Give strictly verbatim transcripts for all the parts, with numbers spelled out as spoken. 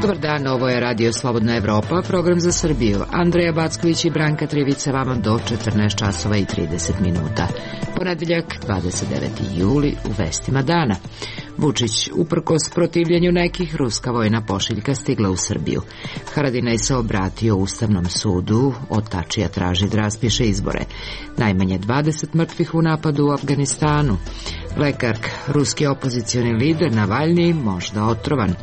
Dobar dan, ovo je Radio Slobodna Evropa, program za Srbiju. Andreja Backović i Branka Trivica vama do četrnaest časova i trideset minuta. Ponedeljak, dvadeset deveti juli, u vestima dana. Vučić, uprkos protivljenju nekih, ruska vojna pošiljka stigla u Srbiju. Haradinaj se obratio Ustavnom sudu, od Tačija traži da raspiše izbore. Najmanje dvadeset mrtvih u napadu u Afganistanu. Lekark, ruski opozicioni lider Navalni, možda otrovan.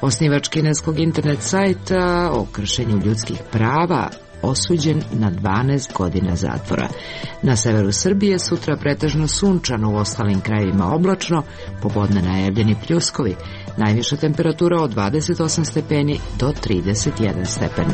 Osnivač kineskog internet sajta o kršenju ljudskih prava, osuđen na dvanaest godina zatvora. Na severu Srbije sutra pretežno sunčano, u ostalim krajevima oblačno, popodne najavljeni pljuskovi. Najviša temperatura od dvadeset osam stepeni do trideset jedan stepen.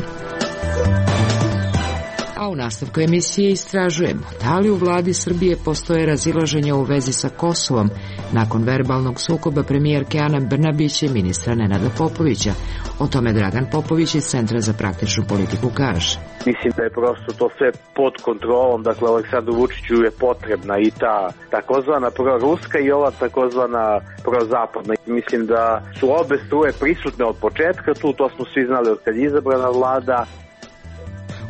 A u nastavku emisije istražujemo da li u vladi Srbije postoje razilaženja u vezi sa Kosovom nakon verbalnog sukoba premijerke Ane Brnabić i ministra Nenada Popovića. O tome Dragan Popović iz Centra za praktičnu politiku kaže. Mislim da je prosto to sve pod kontrolom, dakle Aleksandru Vučiću je potrebna i ta takozvana proruska i ova takozvana prozapadna. Mislim da su obe struje prisutne od početka tu, to smo svi znali od kad je izabrana vlada.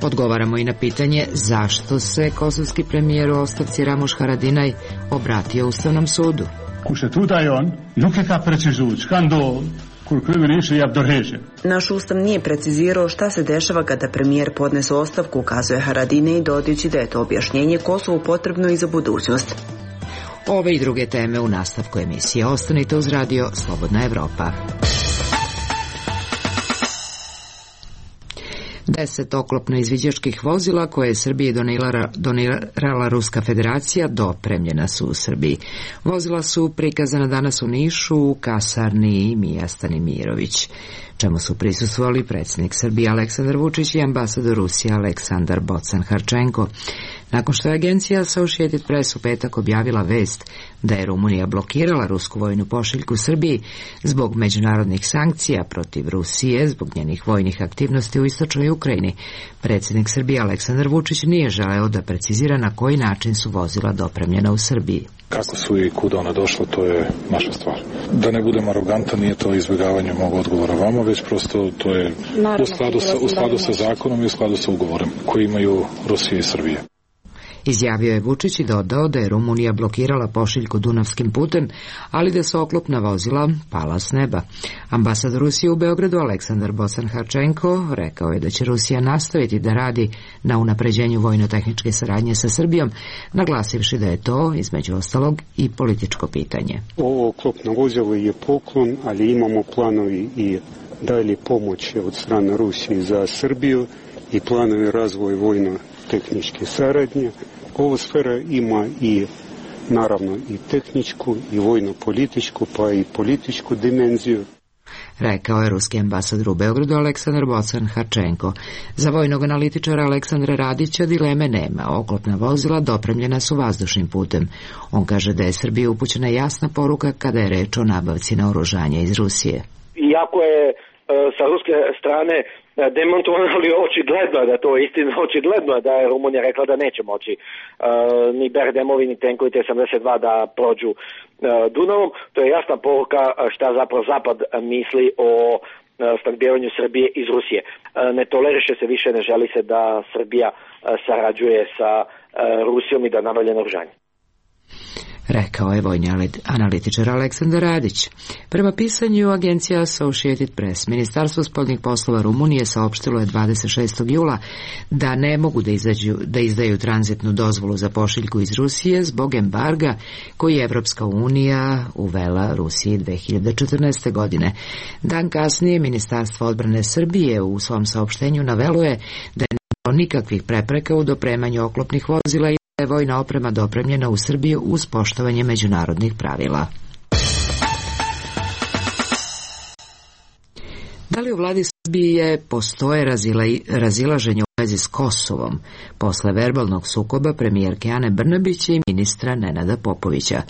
Odgovaramo i na pitanje zašto se kosovski premijer u ostavci Ramuš Haradinaj obratio Ustavnom sudu. Naš ustav nije precizirao šta se dešava kada premijer podnese ostavku, ukazuje Haradinaj, dodajući da je to objašnjenje Kosovu potrebno i za budućnost. Ove i druge teme u nastavku emisije. Ostanite uz Radio Slobodna Evropa. Deset oklopno-izviđačkih vozila koje je Srbiji donirala, donirala Ruska federacija dopremljena su u Srbiji. Vozila su prikazana danas u Nišu, u kasarni i Mijastani Mirović, čemu su prisustvovali predsjednik Srbije Aleksandar Vučić i ambasador Rusije Aleksandar Bocan-Harčenko. Nakon što je agencija Associated Press u petak objavila vest da je Rumunija blokirala rusku vojnu pošiljku Srbiji zbog međunarodnih sankcija protiv Rusije zbog njenih vojnih aktivnosti u istočnoj Ukrajini, predsjednik Srbije Aleksandar Vučić nije želeo da precizira na koji način su vozila dopremljena u Srbiji. Kako su i kuda ona došla, to je naša stvar. Da ne budem arogantan, nije to izbjegavanje mog odgovora vama, već prosto to je u skladu sa, u skladu sa zakonom i u skladu sa ugovorem koji imaju Rusija i Srbije. Izjavio je Vučić i dodao da je Rumunija blokirala pošiljku Dunavskim putem, ali da su oklopna vozila pala s neba. Ambasador Rusije u Beogradu Aleksandar Bocan-Harčenko rekao je da će Rusija nastaviti da radi na unapređenju vojno-tehničke saradnje sa Srbijom, naglasivši da je to, između ostalog, i političko pitanje. Ovo oklopno vozilo je poklon, ali imamo planovi i dalje pomoći od strane Rusije za Srbiju i planovi razvoja vojno-tehničke saradnje. Ova sfera ima i naravno i tehničku i vojno-političku pa i političku dimenziju. Rekao je ruski ambasador u Beogradu Aleksandar Bocan-Harčenko. Za vojnog analitičara Aleksandra Radića dileme nema. Oklopna vozila dopremljena su vazdušnim putem. On kaže da je Srbiji upućena jasna poruka kada je reč o nabavci naoružanja iz Rusije. Iako je sa ruske strane demontovano, ali očigledno da to je istina, očigledno da je Rumunija rekla da neće moći uh, ni Berdemovi ni tenkovi T sedamdeset dva da prođu uh, Dunavom. To je jasna poruka šta zapravo Zapad misli o uh, snabdevanju Srbije iz Rusije. Uh, ne toleriše se više, ne želi se da Srbija uh, sarađuje sa uh, Rusijom i da nabavlja naoružanje. Rekao je vojni analitičar Aleksandar Radić. Prema pisanju agencija Associated Press, Ministarstvo spoljnih poslova Rumunije saopštilo je dvadeset šestog jula da ne mogu da, izađu, da izdaju tranzitnu dozvolu za pošiljku iz Rusije zbog embarga koji je Evropska unija uvela Rusiji dve hiljade četrnaeste. godine. Dan kasnije Ministarstvo odbrane Srbije u svom saopštenju navelo je da je bilo nikakvih prepreka u dopremanju oklopnih vozila i je vojna oprema dopremljena u Srbiju uz poštovanje međunarodnih pravila. Da li u vladi Srbije postoje razila, razilaženje u vezi s Kosovom posle verbalnog sukoba premijerke Ane Brnabić i ministra Nenada Popovića?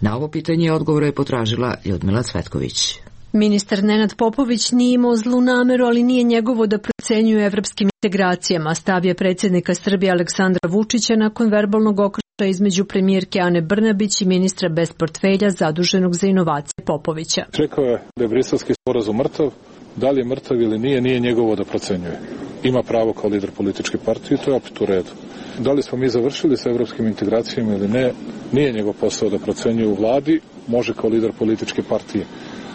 Na ovo pitanje odgovor je potražila Ljudmila Cvetković. Ministar Nenad Popović nije imao zlu nameru, ali nije njegovo da procenjuje evropskim integracijama, stav je predsjednika Srbije Aleksandra Vučića nakon verbalnog okršaja između premijerke Ane Brnabić i ministra bez portfelja zaduženog za inovacije Popovića. Rekao je da je briselski sporazum mrtav, Da li je mrtav ili nije, nije njegovo da procenjuje. Ima pravo kao lider političke partije i to je opet u redu. Da li smo mi završili sa evropskim integracijama ili ne, nije njegov posao da procenjuje u vladi, može kao lider političke partije.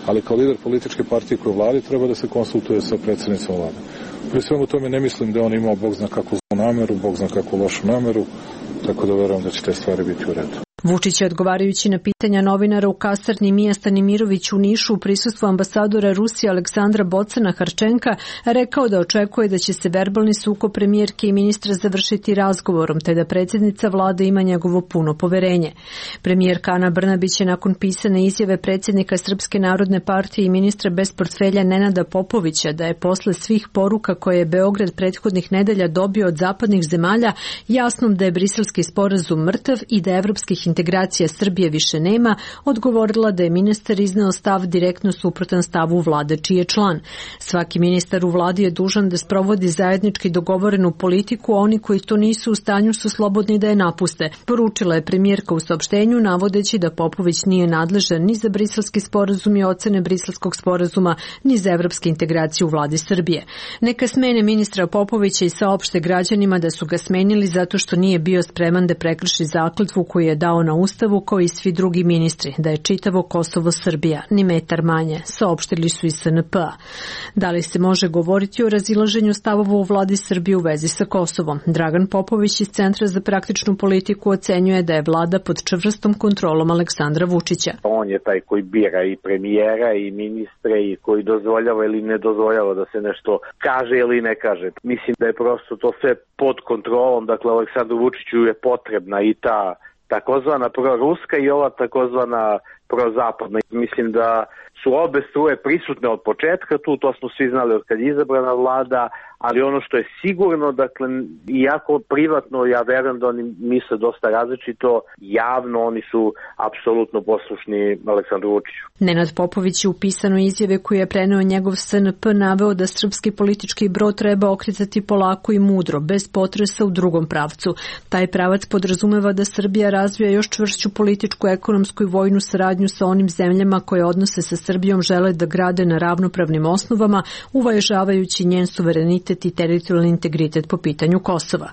Ali kao lider političke partije koje u vladi treba da se konsultuje sa predsjednicom vlade. Pri svemu tome ne mislim da on imao bog zna kakvu zlu nameru, bog zna kakvu lošu nameru, tako da verujem da će te stvari biti u redu. Vučić je odgovarajući na pitanja novinara u kasarni Mija Stanimirović u Nišu u prisustvu ambasadora Rusije Aleksandra Bocana Harčenka rekao da očekuje da će se verbalni sukob premijerke i ministra završiti razgovorom, te da predsjednica vlade ima njegovo puno poverenje. Premijerka Ana Brnabić je nakon pisane izjave predsjednika Srpske narodne partije i ministra bez portfelja Nenada Popovića da je posle svih poruka koje je Beograd prethodnih nedelja dobio od zapadnih zemalja jasnom da je Briselski sporazum mrtav i da evropskih integracija Srbije više nema, odgovorila da je ministar izneo stav direktno suprotan stavu vlade čiji je član. Svaki ministar u vladi je dužan da sprovodi zajednički dogovorenu politiku, a oni koji to nisu u stanju su slobodni da je napuste, poručila je premijerka u saopštenju, navodeći da Popović nije nadležan ni za briselski sporazum i ocene briselskog sporazuma, ni za evropske integracije u vladi Srbije. Neka smene ministra Popovića i saopšte građanima da su ga smenili zato što nije bio spreman da prekrši zakletvu koju je dao na Ustavu kao i svi drugi ministri, da je čitavo Kosovo Srbija, ni metar manje, saopštili su iz S N P-a. Da li se može govoriti o razilaženju stavova u vladi Srbije u vezi sa Kosovom? Dragan Popović iz Centra za praktičnu politiku ocenjuje da je vlada pod čvrstom kontrolom Aleksandra Vučića. On je taj koji bira i premijera i ministre i koji dozvoljava ili ne dozvoljava da se nešto kaže ili ne kaže. Mislim da je prosto to sve pod kontrolom, dakle Aleksandru Vučiću je potrebna i ta takozvana proruska i ova takozvana prozapadna. Mislim da su obe struje prisutne od početka tu, to smo svi znali od kad je izabrana vlada, ali ono što je sigurno, dakle, iako privatno, ja verujem da oni misle dosta različito, javno oni su apsolutno poslušni Aleksandru Vučiću. Nenad Popović je u pisanoj izjave koju je preneo njegov S N P naveo da srpski politički brod treba okretati polako i mudro, bez potresa u drugom pravcu. Taj pravac podrazumeva da Srbija razvija još čvršću političku, ekonomsku i vojnu saradnju sa onim zemljama koje odnose sa Srbijom žele da grade na ravnopravnim osnovama, uvažavajući njen suverenitet i teritorijalni integritet po pitanju Kosova.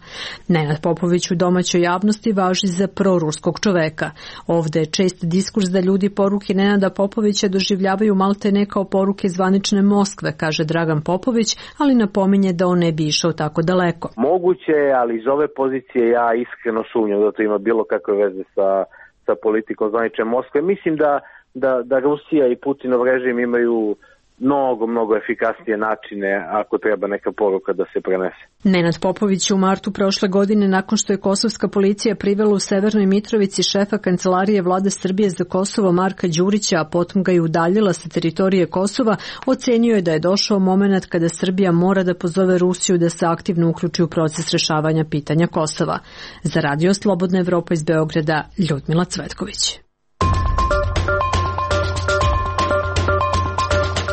Nenad Popović u domaćoj javnosti važi za proruskog čoveka. Ovde je čest diskurs da ljudi poruke Nenada Popovića doživljavaju maltene kao poruke zvanične Moskve, kaže Dragan Popović, ali napominje da on ne bi išao tako daleko. Moguće je, ali iz ove pozicije ja iskreno sumnjam da to ima bilo kakve veze sa, sa politikom zvanične Moskve. Mislim da, da, da Rusija i Putinov režim imaju mnogo, mnogo efikasnije načine ako treba neka poruka da se prenese. Nenad Popović u martu prošle godine, nakon što je kosovska policija privela u Severnoj Mitrovici šefa kancelarije vlade Srbije za Kosovo Marka Đurića, a potom ga je udaljila sa teritorije Kosova, ocenio je da je došao moment kada Srbija mora da pozove Rusiju da se aktivno uključi u proces rešavanja pitanja Kosova. Za Radio Slobodna Evropa iz Beograda, Ljudmila Cvetković.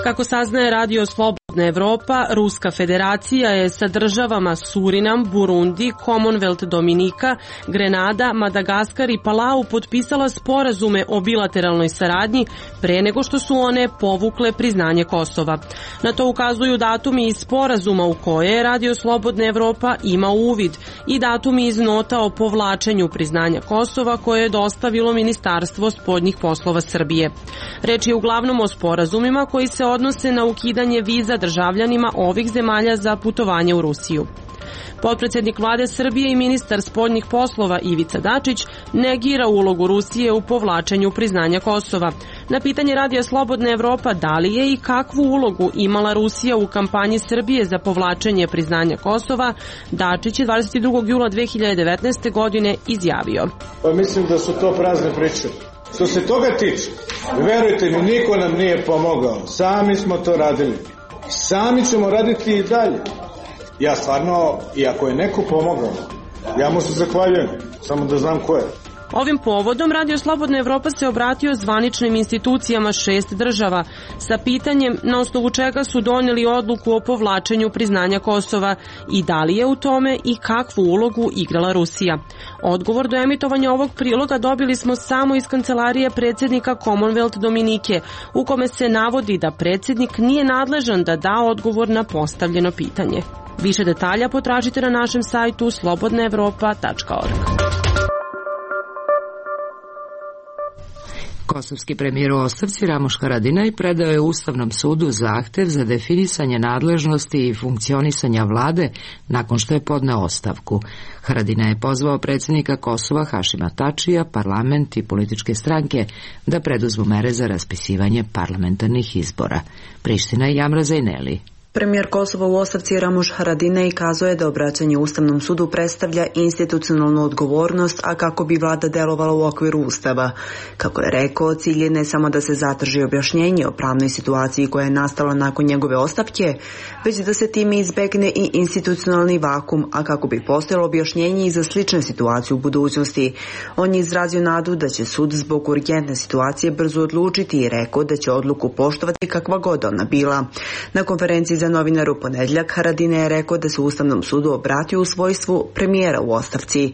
Kako saznaje Radio Slobodna Evropa, Ruska federacija je sa državama Surinam, Burundi, Commonwealth Dominika, Grenada, Madagaskar i Palau potpisala sporazume o bilateralnoj saradnji pre nego što su one povukle priznanje Kosova. Na to ukazuju datumi iz sporazuma u koje Radio Slobodna Evropa ima uvid i datumi iz nota o povlačenju priznanja Kosova koje je dostavilo Ministarstvo spoljnih poslova Srbije. Reč je uglavnom o sporazumima koji se odnose na ukidanje viza državljanima ovih zemalja za putovanje u Rusiju. Potpredsednik vlade Srbije i ministar spoljnih poslova Ivica Dačić negira ulogu Rusije u povlačenju priznanja Kosova. Na pitanje Radija Slobodna Evropa da li je i kakvu ulogu imala Rusija u kampanji Srbije za povlačenje priznanja Kosova, Dačić je dvadeset drugog jula dve hiljade devetnaeste. godine izjavio. Pa mislim da su to prazne priče. Što se toga tiče, verujte mi, niko nam nije pomogao. Sami smo to radili. Sami ćemo raditi i dalje. Ja stvarno, i ako je neko pomogao, ja mu se zahvaljujem, samo da znam ko je. Ovim povodom Radio Slobodna Evropa se obratio zvaničnim institucijama šest država sa pitanjem na osnovu čega su donijeli odluku o povlačenju priznanja Kosova i da li je u tome i kakvu ulogu igrala Rusija. Odgovor do emitovanja ovog priloga dobili smo samo iz kancelarije predsjednika Commonwealth Dominike, u kome se navodi da predsjednik nije nadležan da da odgovor na postavljeno pitanje. Više detalja potražite na našem sajtu slobodna evropa tačka org. Kosovski premijer u ostavci Ramuš Haradinaj predao je Ustavnom sudu zahtev za definisanje nadležnosti i funkcionisanja vlade nakon što je podneo ostavku. Haradinaj je pozvao predsjednika Kosova Hašima Tačija, parlament i političke stranke da preduzmu mere za raspisivanje parlamentarnih izbora. Priština i Amra Zajneli. Premijer Kosova u ostavci Ramuš Haradinaj kazuje da obraćanje Ustavnom sudu predstavlja institucionalnu odgovornost, a kako bi vlada delovala u okviru Ustava. Kako je rekao, cilj je ne samo da se zatraži objašnjenje o pravnoj situaciji koja je nastala nakon njegove ostavke, već da se time izbegne i institucionalni vakum, a kako bi postojalo objašnjenje i za slične situacije u budućnosti. On je izrazio nadu da će sud zbog urgentne situacije brzo odlučiti i rekao da će odluku poštovati kakva god ona bila. Na konferenciji za novinare u ponedjeljak Haradinaj je rekao da se Ustavnom sudu obratio u svojstvu premijera u ostavci.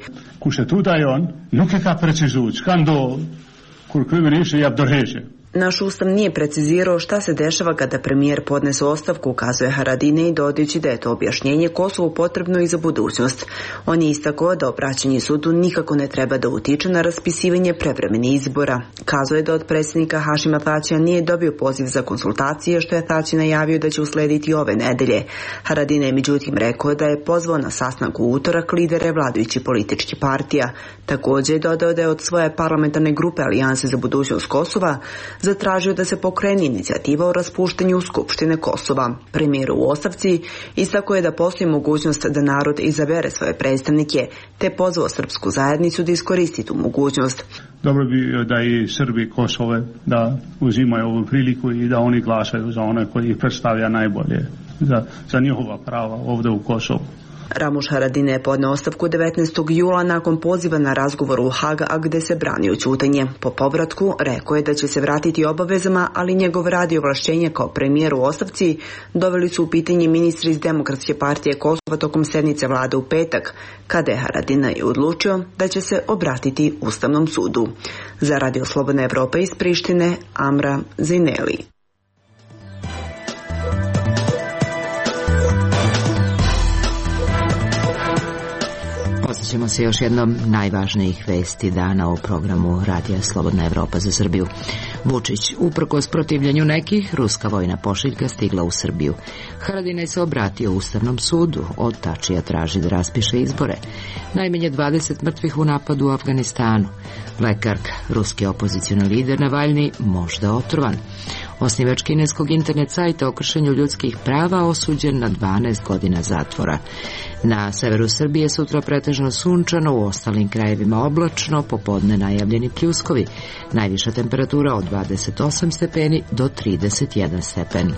Naš Ustav nije precizirao šta se dešava kada premijer podnese ostavku, ukazuje Haradinaj, dodajući da je to objašnjenje Kosovu potrebno i za budućnost. On je istakao da obraćanje sudu nikako ne treba da utiče na raspisivanje prevremenih izbora. Kazuje da od predsjednika Hašima Tačija nije dobio poziv za konsultacije, što je Tači najavio da će uslediti ove nedelje. Haradinaj je međutim rekao da je pozvao na sastanak u utorak lidere vladajućih političkih partija. Također je dodao da je od svoje parlamentarne grupe Alijanse za budućnost Kosova zatražio da se pokrene inicijativa o raspuštanju Skupštine Kosova. Premijer u ostavci istakao je da postoji mogućnost da narod izabere svoje predstavnike, te pozvao srpsku zajednicu da iskoristi tu mogućnost. Dobro bi da i Srbi Kosove da uzimaju ovu priliku i da oni glasaju za one koji ih predstavlja najbolje za, za njihova prava ovdje u Kosovu. Ramuš Haradinaj je podneo ostavku devetnaestog jula nakon poziva na razgovor u Hag, a gde se branio ćutanje. Po povratku rekao je da će se vratiti obavezama, ali njegov rad i ovlašćenje kao premijer u ostavci doveli su u pitanje ministri iz Demokratske partije Kosova tokom sednice vlade u petak, kada je Haradinaj odlučio da će se obratiti Ustavnom sudu. Za Radio Slobodna Evropa iz Prištine, Amra Zajneli. Ćemo se još jednom najvažnijih vesti dana u programu Radija Slobodna Evropa za Srbiju. Vučić, uprkos protivljenju nekih, ruska vojna pošiljka stigla u Srbiju. Haradinaj se obratio Ustavnom sudu, od Tačija traži da raspiše izbore. Najmanje dvadeset mrtvih u napadu u Afganistanu. Lekarka, ruski opozicioni lider Navalni, možda otrovan. Osnivač kineskog internet sajta o kršenju ljudskih prava osuđen na dvanaest godina zatvora. Na severu Srbije sutra pretežno sunčano, u ostalim krajevima oblačno, popodne najavljeni pljuskovi. Najviša temperatura od dvadeset osam stepeni do trideset jedan stepen.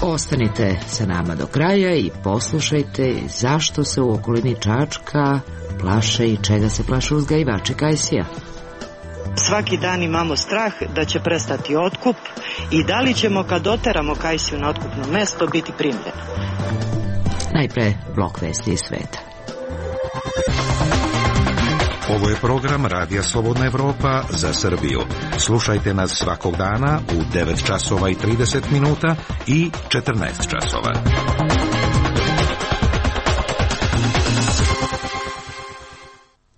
Ostanite sa nama do kraja i poslušajte zašto se u okolini Čačka plaše i čega se plaše uzgajivači kajsija. Svaki dan imamo strah da će prestati otkup i da li ćemo kad oteramo kajsiju na otkupno mesto biti primljeni. Najpre blok vesti iz sveta. Ovo je program Radija Slobodna Evropa za Srbiju. Slušajte nas svakog dana u devet časova i trideset minuta i četrnaest časova.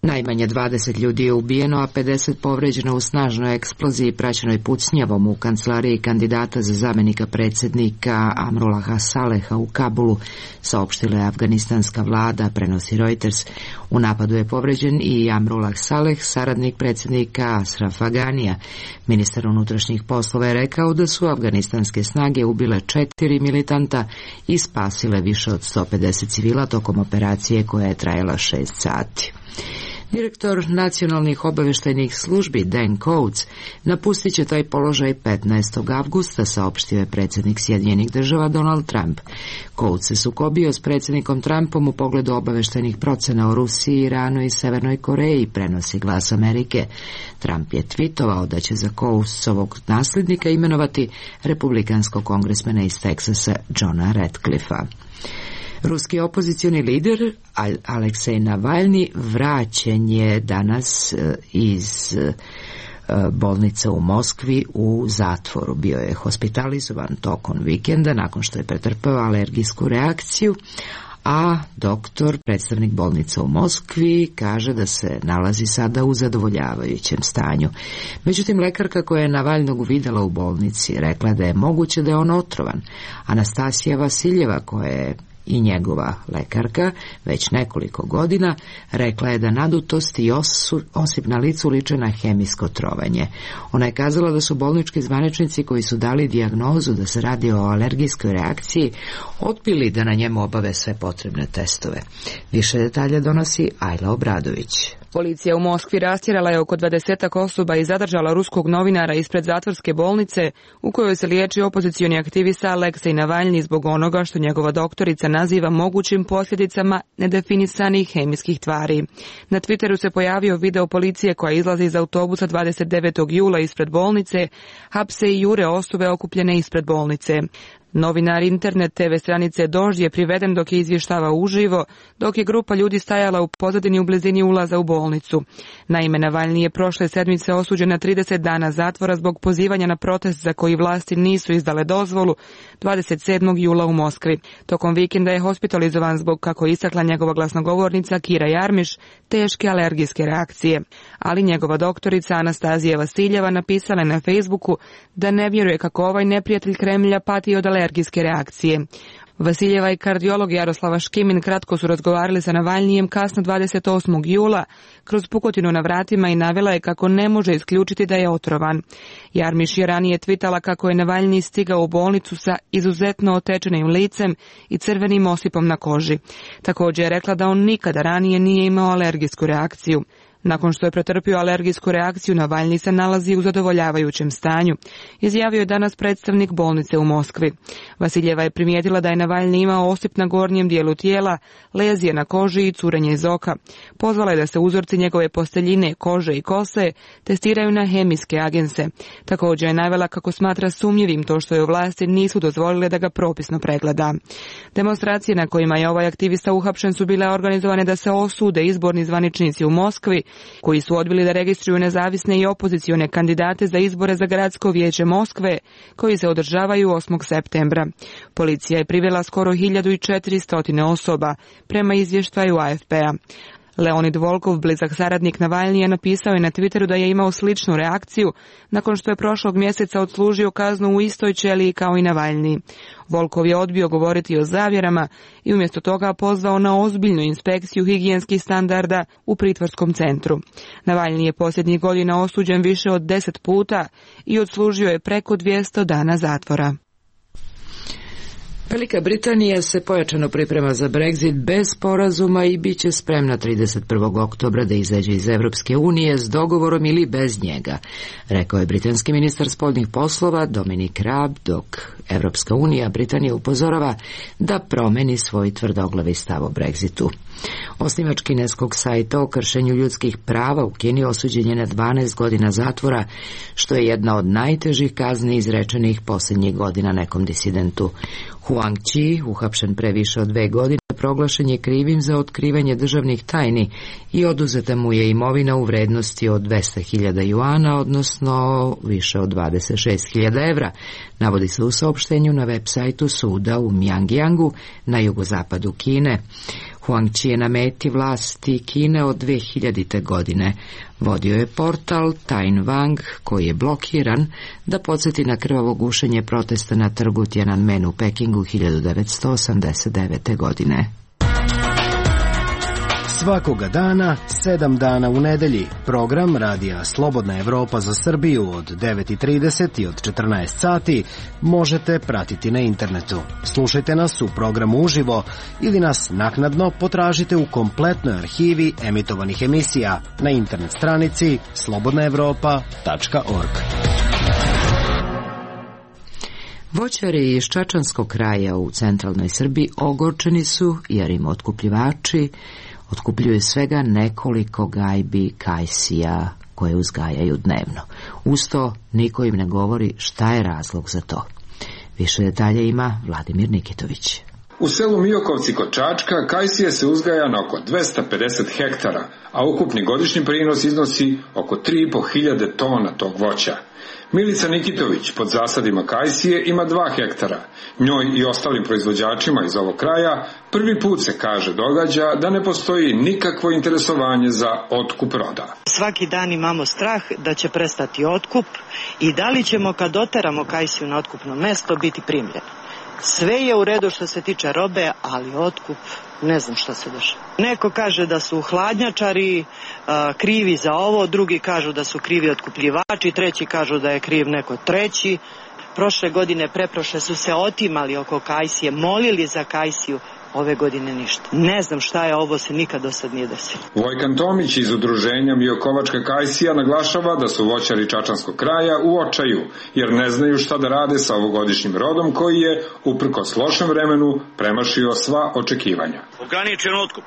Najmanje dvadeset ljudi je ubijeno, a pedeset povređeno u snažnoj eksploziji praćenoj pucnjavom u kancelariji kandidata za zamenika predsjednika Amrullaha Saleha u Kabulu, saopštila je afganistanska vlada, prenosi Reuters. U napadu je povređen i Amrullah Saleh, saradnik predsjednika Asrafa Ganija. Ministar unutrašnjih poslova je rekao da su afganistanske snage ubile četiri militanta i spasile više od sto pedeset civila tokom operacije koja je trajala šest sati. Direktor nacionalnih obaveštajnih službi Dan Coats napustit će taj položaj petnaestog avgusta, saopštio je predsjednik Sjedinjenih država Donald Trump. Coats se sukobio s predsjednikom Trumpom u pogledu obaveštajnih procena o Rusiji, Iranu i Severnoj Koreji, prenosi Glas Amerike. Trump je tvitovao da će za Coatsovog nasljednika imenovati republikanskog kongresmena iz Teksasa Johna Ratcliffe-a. Ruski opozicioni lider Aleksej Navalni vraćen je danas iz bolnice u Moskvi u zatvoru. Bio je hospitalizovan tokom vikenda nakon što je pretrpeo alergijsku reakciju, a doktor, predstavnik bolnice u Moskvi, kaže da se nalazi sada u zadovoljavajućem stanju. Međutim, lekarka koja je Navalnog uvidela u bolnici rekla da je moguće da je on otrovan. Anastasija Vasiljeva, koja je i njegova lekarka već nekoliko godina, rekla je da nadutost i osip na licu liče na hemijsko trovanje. Ona je kazala da su bolnički zvaničnici koji su dali dijagnozu da se radi o alergijskoj reakciji odbili da na njemu obave sve potrebne testove. Više detalja donosi Ajla Obradović. Policija u Moskvi rastjerala je oko dvadesetak osoba i zadržala ruskog novinara ispred zatvorske bolnice u kojoj se liječi opozicioni aktivista Aleksej Navalni zbog onoga što njegova doktorica naziva mogućim posljedicama nedefinisanih hemijskih tvari. Na Twitteru se pojavio video policije koja izlazi iz autobusa dvadeset devetog jula ispred bolnice, hapse i jure osobe okupljene ispred bolnice. Novinar internet te ve stranice Dožd je priveden dok je izvještavao uživo, dok je grupa ljudi stajala u pozadini u blizini ulaza u bolnicu. Naime, Navalni je prošle sedmice osuđen na trideset dana zatvora zbog pozivanja na protest za koji vlasti nisu izdale dozvolu dvadeset sedmog jula u Moskvi. Tokom vikenda je hospitalizovan zbog, kako istakla njegova glasnogovornica Kira Jarmiš, teške alergijske reakcije. Ali njegova doktorica Anastazija Vasiljeva napisala je na Facebooku da ne vjeruje kako ovaj neprijatelj Kremlja pati od alergijske reakcije. Vasiljeva i kardiolog Jaroslava Škimin kratko su razgovarali sa Navalnijem kasno dvadeset osmog jula kroz pukotinu na vratima i navela je kako ne može isključiti da je otrovan. Jarmiš je ranije tvitala kako je Navalni stigao u bolnicu sa izuzetno otečenim licem i crvenim osipom na koži. Također je rekla da on nikada ranije nije imao alergijsku reakciju. Nakon što je pretrpio alergijsku reakciju, Navalni se nalazi u zadovoljavajućem stanju, izjavio je danas predstavnik bolnice u Moskvi. Vasiljeva je primijetila da je Navalni imao osip na gornjem dijelu tijela, lezije na koži i curenje iz oka. Pozvala je da se uzorci njegove posteljine, kože i kose testiraju na hemijske agense. Također je navela kako smatra sumnjivim to što je vlasti nisu dozvolile da ga propisno pregleda. Demonstracije na kojima je ovaj aktivista uhapšen su bile organizovane da se osude izborni zvaničnici u Moskvi, koji su odbili da registruju nezavisne i opozicione kandidate za izbore za gradsko vijeće Moskve, koji se održavaju osmog septembra. Policija je privela skoro hiljadu četiristo osoba, prema izvještaju A F P-a. Leonid Volkov, blizak saradnik Navalni, je napisao je na Twitteru da je imao sličnu reakciju nakon što je prošlog mjeseca odslužio kaznu u istoj ćeliji kao i Navalni. Volkov je odbio govoriti o zavjerama i umjesto toga pozvao na ozbiljnu inspekciju higijenskih standarda u pritvorskom centru. Navalni je posljednjih godina osuđen više od deset puta i odslužio je preko dvjesto dana zatvora. Velika Britanija se pojačano priprema za Brexit bez sporazuma i bit će spremna trideset prvog oktobra da izađe iz Evropske unije s dogovorom ili bez njega, rekao je britanski ministar spoljnih poslova Dominic Raab, dok Evropska unija Britanija upozorava da promeni svoj tvrdoglavi stav o Brexitu. Osnivač kineskog sajta o kršenju ljudskih prava u Kini osuđen je na dvanaest godina zatvora, što je jedna od najtežih kazni izrečenih posljednjih godina nekom disidentu. Huang Chi, uhapšen pre više od dve godine, proglašen je krivim za otkrivanje državnih tajni i oduzeta mu je imovina u vrednosti od dvesta hiljada juana, odnosno više od dvadeset šest hiljada evra, navodi se u saopštenju na web sajtu suda u Mjangjangu na jugozapadu Kine. Huang Chi je na meti vlasti Kine od dve hiljadite. godine. Vodio je portal Tain Wang, koji je blokiran, da podsjeti na krvavo gušenje protesta na trgu Tiananmen u Pekingu hiljadu devetsto osamdeset devete. godine. Svakoga dana, sedam dana u nedelji, program Radija Slobodna Evropa za Srbiju od devet i trideset i od četrnaest sati možete pratiti na internetu. Slušajte nas u programu uživo ili nas naknadno potražite u kompletnoj arhivi emitovanih emisija na internet stranici slobodna evropa tačka org. Voćari iz Čačanskog kraja u centralnoj Srbiji ogorčeni su jer im otkupljivači otkupljuju svega nekoliko gajbi kajsija koje uzgajaju dnevno. Usto niko im ne govori šta je razlog za to. Više detalja ima Vladimir Nikitović. U selu Miokovci kod Čačka kajsije se uzgaja na oko dvesta pedeset hektara, a ukupni godišnji prinos iznosi oko tri i po hiljade tona tog voća. Milica Nikitović pod zasadima kajsije ima dva hektara. Njoj i ostalim proizvođačima iz ovog kraja prvi put se, kaže, događa da ne postoji nikakvo interesovanje za otkup roda. Svaki dan imamo strah da će prestati otkup i da li ćemo kad oteramo kajsiju na otkupno mesto biti primljeni. Sve je u redu što se tiče robe, ali otkup ne znam šta se dešava. Neko kaže da su hladnjačari a, krivi za ovo, drugi kažu da su krivi otkupljivači, treći kažu da je kriv neko treći. Prošle godine, preprošle su se otimali oko kajsije, molili za kajsiju. Ove godine ništa. Ne znam šta je, ovo se nikad do sad nije desilo. Vojkan Tomić iz udruženja Miokovačka kajsija naglašava da su voćari Čačanskog kraja u očaju, jer ne znaju šta da rade sa ovogodišnjim rodom koji je, uprkos lošem vremenu, premašio sva očekivanja. Ograničen otkup.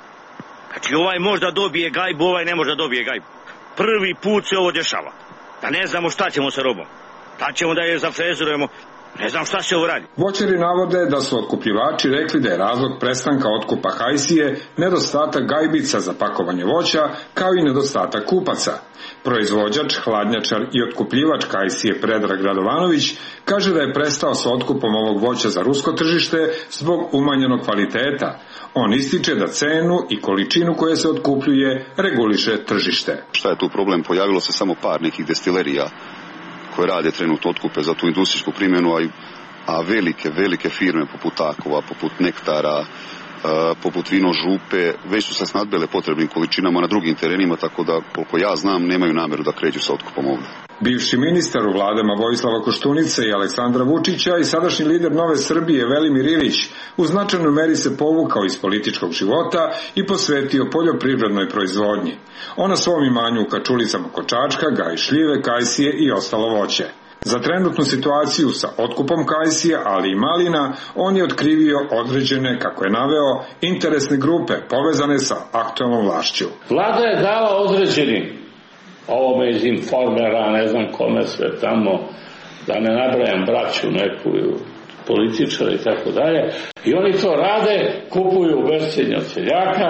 Znači ovaj možda dobije gajbu, ovaj ne može da dobije gajbu. Prvi put se ovo dešava. Da ne znamo šta ćemo sa robom. Da ćemo da je zafrezurujemo. Ne znam šta se ovo radi. Voćari navode da su otkupljivači rekli da je razlog prestanka otkupa kajsije nedostatak gajbica za pakovanje voća, kao i nedostatak kupaca. Proizvođač, hladnjačar i otkupljivač kajsije Predrag Radovanović kaže da je prestao sa otkupom ovog voća za rusko tržište zbog umanjenog kvaliteta. On ističe da cenu i količinu koje se otkupljuje reguliše tržište. Šta je tu problem? Pojavilo se samo par nekih destilerija koje rade trenutno otkupe za tu industrijsku primjenu, a, a velike, velike firme poput Takova, poput Nektara, a, poput Vino Župe, već su se snadbele potrebnim količinama na drugim terenima, tako da, koliko ja znam, nemaju nameru da kreću sa otkupom ovdje. Bivši ministar u vladama Vojislava Koštunice i Aleksandra Vučića i sadašnji lider Nove Srbije Velimir Ilić u značajnoj meri se povukao iz političkog života i posvetio poljoprivrednoj proizvodnji. On na svom imanju u Kačulicama kod Čačka gaji šljive, kajsije i ostalo voće. Za trenutnu situaciju sa otkupom kajsije, ali i malina, on je otkrivio određene, kako je naveo, interesne grupe povezane sa aktualnom vlašću. Vlada je dala određeni ovome iz Informera, ne znam kome sve tamo, da ne nabrajam braću neku političara i tako dalje, i oni to rade, kupuju bescenje od seljaka,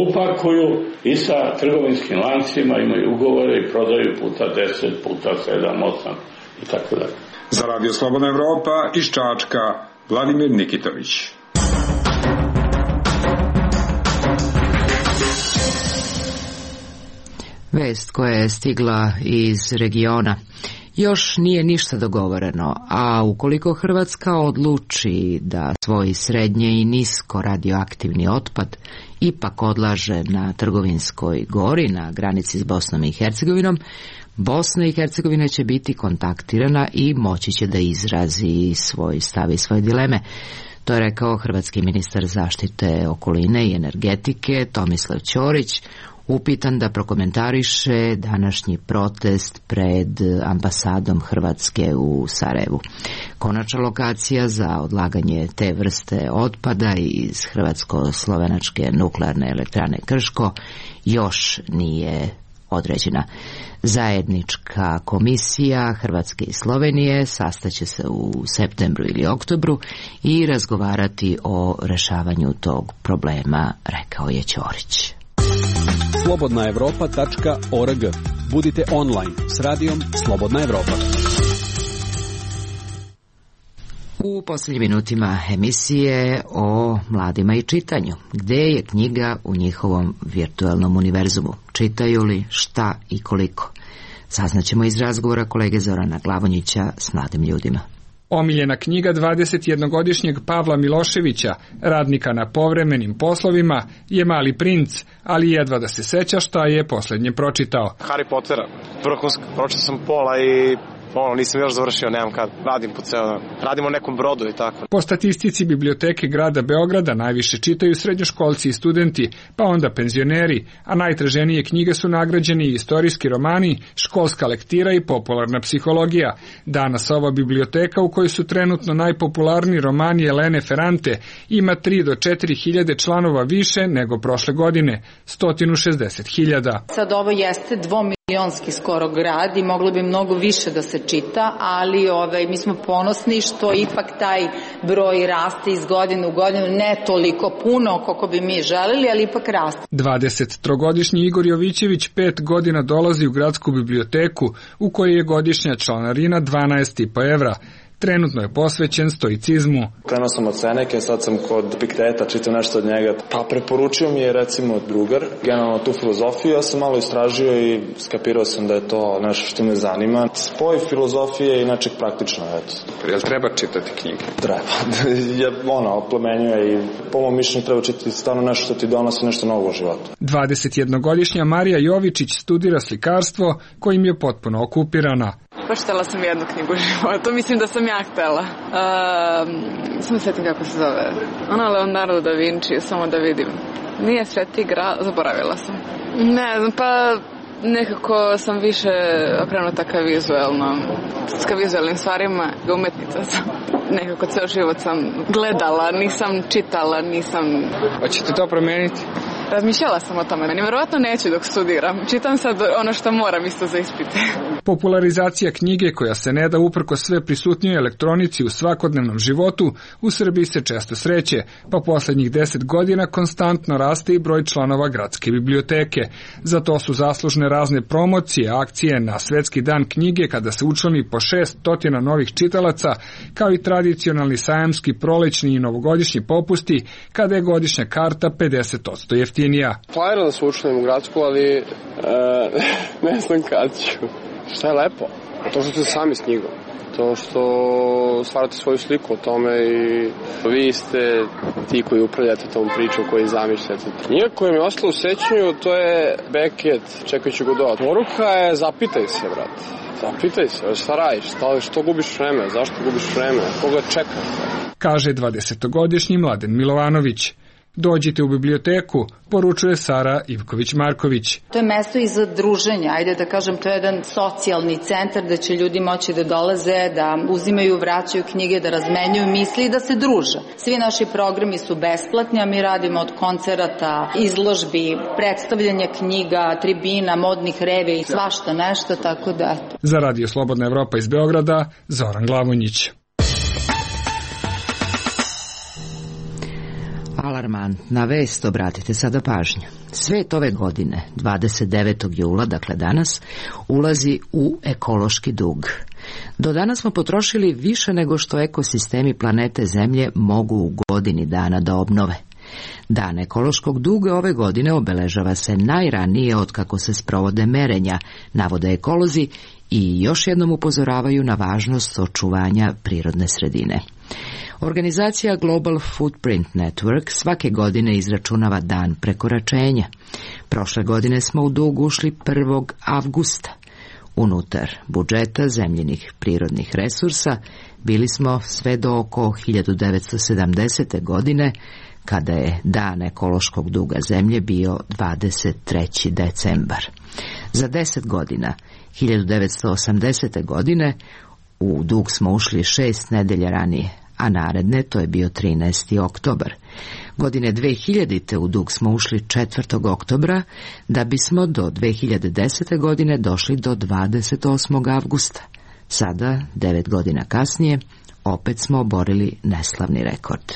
upakuju i sa trgovinskim lancima imaju ugovore i prodaju puta deset, puta sedam, osam i tako dalje. Za Radio Slobodna Evropa iz Čačka, Vladimir Nikitović. Vest koja je stigla iz regiona. Još nije ništa dogovoreno, a ukoliko Hrvatska odluči da svoj srednje i nisko radioaktivni otpad ipak odlaže na Trgovinskoj gori na granici s Bosnom i Hercegovinom, Bosna i Hercegovina će biti kontaktirana i moći će da izrazi svoj stav i svoje dileme. To je rekao hrvatski ministar zaštite okoline i energetike Tomislav Ćorić, upitan da prokomentariše današnji protest pred ambasadom Hrvatske u Sarajevu. Konačna lokacija za odlaganje te vrste otpada iz hrvatsko-slovenačke nuklearne elektrane Krško još nije određena. Zajednička komisija Hrvatske i Slovenije sastaće se u septembru ili oktobru i razgovarati o rešavanju tog problema, rekao je Ćorić. slobodna evropa tačka org. Budite online s radijom Slobodna Evropa. U posljednjim minutima emisije o mladima i čitanju. Gde je knjiga u njihovom virtualnom univerzumu? Čitaju li, šta i koliko? Saznaćemo iz razgovora kolege Zorana Glavonjića s mladim ljudima. Omiljena knjiga dvadesetjednogodišnjeg Pavla Miloševića, radnika na povremenim poslovima, je Mali princ, ali jedva da se seća šta je poslednje pročitao. Harry Pottera. Vrhunski, pročitao sam pola i ono, nisam još završio, nemam kad. Radim po ceo dan. Radim u nekom brodu i tako. Po statistici biblioteke grada Beograda najviše čitaju srednjoškolci i studenti, pa onda penzioneri, a najtraženije knjige su nagrađeni i istorijski romani, školska lektira i popularna psihologija. Danas ova biblioteka, u kojoj su trenutno najpopularniji romani Elene Ferrante, ima tri do četiri hiljade članova više nego prošle godine, sto šezdeset hiljada. Sad ovo jeste dvomilionski skoro grad i moglo bi mnogo više da se čita, ali ovaj, mi smo ponosni što ipak taj broj raste iz godine u godinu, ne toliko puno koliko bi mi želeli, ali ipak raste. dvadesettrogodišnji Igor Jovićević pet godina dolazi u gradsku biblioteku, u kojoj je godišnja članarina dvanaest i po evra. Trenutno je posvećen stoicizmu. Krenuo sam od Seneke, sad sam kod Epikteta, čitam nešto od njega. Pa preporučio mi je recimo drugar, generalno tu filozofiju, ja sam malo istražio i skapirao sam da je to nešto što me zanima. Spoj filozofije i nečeg praktično, eto. Jel treba čitati knjige? Treba. je, ono, oplemenjuje i po mom mišljenju treba čitati stvarno nešto što ti donosi nešto novo u životu. dvadesetjednogodišnja Marija Jovičić studira slikarstvo, kojim je potpuno okupirana. Baš htjela sam jednu knjigu u životu, mislim da sam ja htjela. Uh, samo sjetim kako se zove. Ona Leonardo da Vinci, samo da vidim. Nije Sveti grad, zaboravila sam. Ne znam, pa nekako sam više okrenuta ka vizuelnom, ka vizuelnim stvarima, umetnica sam. Nekako ceo život sam gledala, nisam čitala, nisam... Hoćete to promijeniti? Razmišljala sam o tome. Nevjerovatno neću dok studiram. Čitam sad ono što moram isto za ispite. Popularizacija knjige, koja se ne da uprko sve prisutnijoj elektronici u svakodnevnom životu, u Srbiji se često sreće, pa poslednjih deset godina konstantno raste i broj članova gradske biblioteke. Za to su zaslužne razne promocije, akcije na Svetski dan knjige, kada se učlani po šest stotina novih čitalaca, kao i tradicionalni sajamski, prolećni i novogodišnji popusti, kada je godišnja karta pedeset posto jeftinija. Planiram da se učlanim u gradsku, ali e, ne znam kad ću. Šta je lepo? To što ste sami s knjigom. To što stvarate svoju sliku o tome i vi ste ti koji upravljate tom pričom, koji zamišljate. Knjiga koja mi je ostala u sećanju, to je Beckett, čekajući Godot. Poruka je zapitaj se, brate. Zapitaj se, šta radiš, šta, što gubiš vreme, zašto gubiš vreme, koga čekaš? Kaže dvadesetogodišnji Mladen Milovanović. Dođite u biblioteku, poručuje Sara Ivković-Marković. To je mesto i za druženja, ajde da kažem, to je jedan socijalni centar da će ljudi moći da dolaze, da uzimaju, vraćaju knjige, da razmenjuju misli i da se druže. Svi naši programi su besplatni, a mi radimo od koncerata, izložbi, predstavljanja knjiga, tribina, modnih revija i svašta nešto, tako da... Za Radio Slobodna Evropa iz Beograda, Zoran Glavonjić. Alarmantna vest, obratite sada pažnju. Svet ove godine, dvadeset devetog jula, dakle danas, ulazi u ekološki dug. Do danas smo potrošili više nego što ekosistemi planete Zemlje mogu u godini dana da obnove. Dan ekološkog duga ove godine obeležava se najranije otkako se sprovode merenja, navode ekolozi i još jednom upozoravaju na važnost očuvanja prirodne sredine. Organizacija Global Footprint Network svake godine izračunava dan prekoračenja. Prošle godine smo u dug ušli prvog avgusta. Unutar budžeta zemljinih prirodnih resursa bili smo sve do oko hiljadu devetsto sedamdesete. godine, kada je dan ekološkog duga zemlje bio dvadeset treći decembar. Za deset godina, hiljadu devetsto osamdesete. godine, u dug smo ušli šest nedelja ranije, a naredne to je bio trinaesti oktobar. Godine dve hiljadite. u dug smo ušli četvrtog oktobra, da bismo do dve hiljade desete. godine došli do dvadeset osmog avgusta. Sada, devet godina kasnije, opet smo oborili neslavni rekord.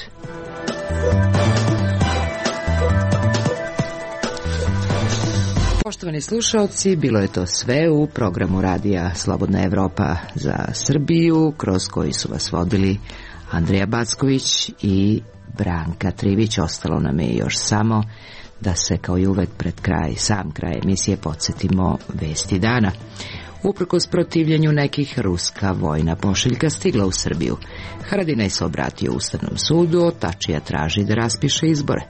Poštovani slušalci, bilo je to sve u programu radija Slobodna Evropa za Srbiju, kroz koji su vas vodili Andreja Backović i Branka Trivić. Ostalo nam je još samo da se, kao i uvek pred kraj, sam kraj emisije, podsjetimo vesti dana. Uprkos protivljenju nekih, ruska vojna pošiljka stigla u Srbiju. Haradinaj se obratio Ustavnom sudu, Tačija traži da raspiše izbore.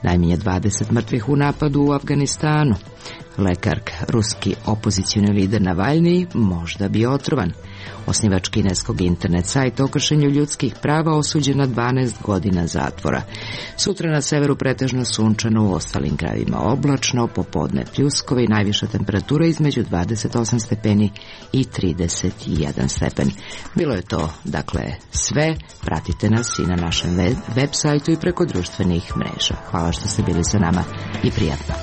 Najmanje dvadeset mrtvih u napadu u Afganistanu. Lekark, ruski opozicioni lider Navaljni, možda bi otrovan. Osnivač kineskog internet sajta o kršenju ljudskih prava osuđen na dvanaest godina zatvora. Sutra na severu pretežno sunčano, u ostalim krajevima oblačno, popodne pljuskove i najviša temperatura između dvadeset osam stepeni i trideset jedan stepen. Bilo je to, dakle, sve. Pratite nas i na našem web sajtu i preko društvenih mreža. Hvala što ste bili sa nama i prijatno.